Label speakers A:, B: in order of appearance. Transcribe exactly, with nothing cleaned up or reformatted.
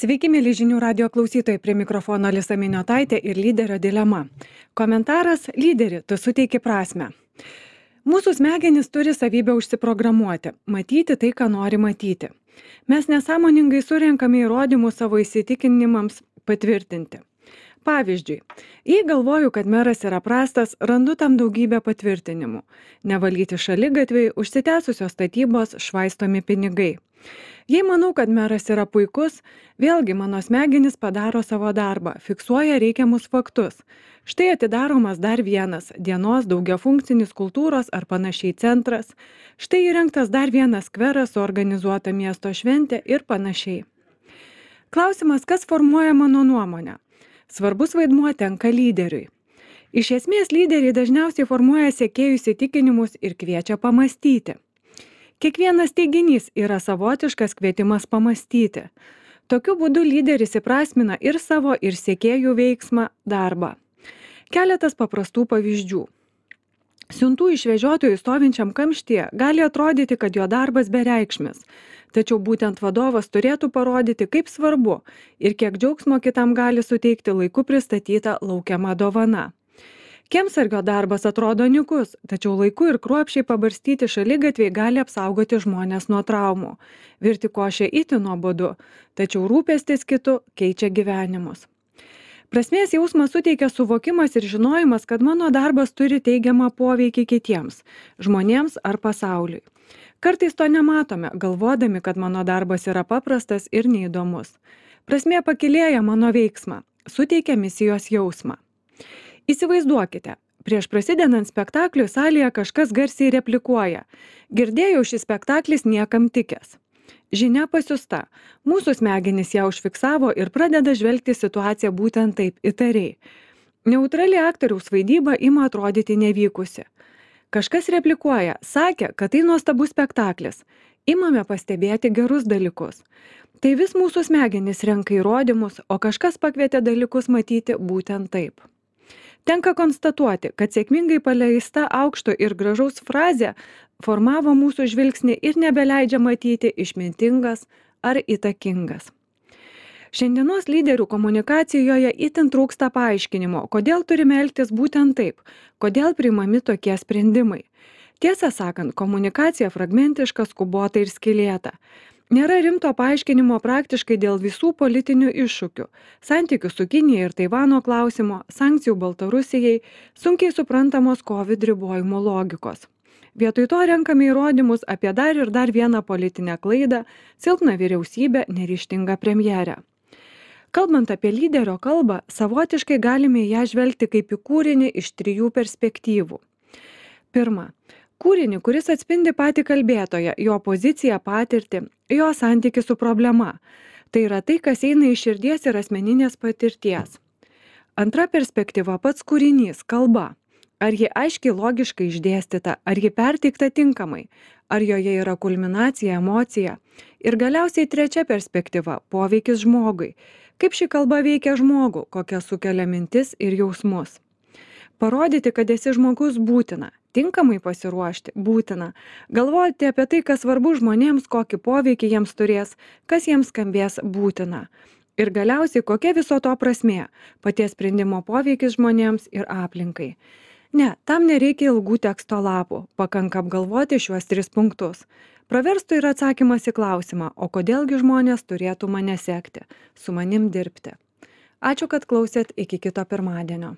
A: Sveiki, mėly žinių radio klausytojai, prie mikrofono Alisa Miniotaitė ir lyderio dilema. Komentaras: lyderi, tu suteiki prasmę. Mūsų smegenys turi savybę užsiprogramuoti, matyti tai, ką nori matyti. Mes nesąmoningai surenkame įrodymus savo įsitikinimams patvirtinti. Pavyzdžiui, jei galvoju, kad meras yra prastas, randu tam daugybę patvirtinimų. Nevalyti šaligatviai, užsitęsusios statybos, švaistomi pinigai. Jei manau, kad meras yra puikus, vėlgi mano smegenys padaro savo darbą, fiksuoja reikiamus faktus. Štai atidaromas dar vienas dienos daugiafunkcinis kultūros ar panašiai centras. Štai įrengtas dar vienas skveras, suorganizuota miesto šventė ir panašiai. Klausimas, kas formuoja mano nuomonę? Svarbus vaidmuo tenka lyderiui. Iš esmės, lyderiai dažniausiai formuoja sekėjų įsitikinimus ir kviečia pamąstyti. Kiekvienas teiginys yra savotiškas kvietimas pamąstyti. Tokiu būdu lyderis įprasmina ir savo, ir sekėjų veiksmą, darbą. Keletas paprastų pavyzdžių. Siuntų išvežiotojui stovinčiam kamštyje gali atrodyti, kad jo darbas bereikšmis. Tačiau būtent vadovas turėtų parodyti, kaip svarbu ir kiek džiaugsmo kitam gali suteikti laiku pristatyta laukiama dovana. Kiemsargio darbas atrodo nykus, tačiau laiku ir kruopščiai pabarstyti šaligatviai gali apsaugoti žmones nuo traumų. Virti košę itin nuobodu, tačiau rūpestis kitu keičia gyvenimus. Prasmės jausmą suteikia suvokimas ir žinojimas, kad mano darbas turi teigiamą poveikį kitiems, žmonėms ar pasauliui. Kartais to nematome, galvodami, kad mano darbas yra paprastas ir neįdomus. Prasmė pakylėja mano veiksmą, suteikia misijos jausmą. Įsivaizduokite, prieš prasidedant spektakliui salėje kažkas garsiai replikuoja: girdėjau, šis spektaklis niekam tikęs. Žinia pasiusta, mūsų smegenys ją užfiksavo ir pradeda žvelgti situaciją būtent taip, įtariai. Neutrali aktoriaus vaidyba ima atrodyti nevykusi. Kažkas replikuoja, sakė, kad tai nuostabus spektaklis. Imame pastebėti gerus dalykus. Tai vis mūsų smegenys renka įrodymus, o kažkas pakvietė dalykus matyti būtent taip. Tenka konstatuoti, kad sėkmingai paleista aukšto ir gražaus frazė formavo mūsų žvilgsnį ir nebeleidžia matyti išmintingas ar įtakingas. Šiandienos lyderių komunikacijoje itin trūksta paaiškinimo, kodėl turime elgtis būtent taip, kodėl priimami tokie sprendimai. Tiesą sakant, komunikacija fragmentiška, skubota ir skylėta. Nėra rimto paaiškinimo praktiškai dėl visų politinių iššūkių, santykių su Kinija ir Taivano klausimo, sankcijų Baltarusijai, sunkiai suprantamos COVID ribojimo logikos. Vietoj to renkame įrodymus apie dar ir dar vieną politinę klaidą, silpną vyriausybę, neryžtingą premjerę. Kalbant apie lyderio kalbą, savotiškai galime ją žvelgti kaip į kūrinį iš trijų perspektyvų. Pirma, kūrinį, kuris atspindi patį kalbėtoją, jo poziciją, patirtį, jo santykį su problema. Tai yra tai, kas eina iš širdies ir asmeninės patirties. Antra perspektyva - pats kūrinys, kalba. Ar ji aiškiai logiškai išdėstyta, ar ji perteikta tinkamai, ar joje yra kulminacija, emocija. Ir galiausiai trečia perspektyva - poveikis žmogui. Kaip ši kalba veikia žmogų, kokia sukelia mintis ir jausmus. Parodyti, kad esi žmogus būtina, tinkamai pasiruošti būtina, galvoti apie tai, kas svarbu žmonėms, kokį poveikį jiems turės, kas jiems skambės būtina. Ir galiausiai, kokia viso to prasmė, paties sprendimo poveikis žmonėms ir aplinkai. Ne, tam nereikia ilgų teksto lapų, pakanka apgalvoti šiuos tris punktus. Praverstų ir atsakymas į klausimą, o kodėlgi žmonės turėtų mane sekti, su manim dirbti. Ačiū, kad klausėt, iki kito pirmadienio.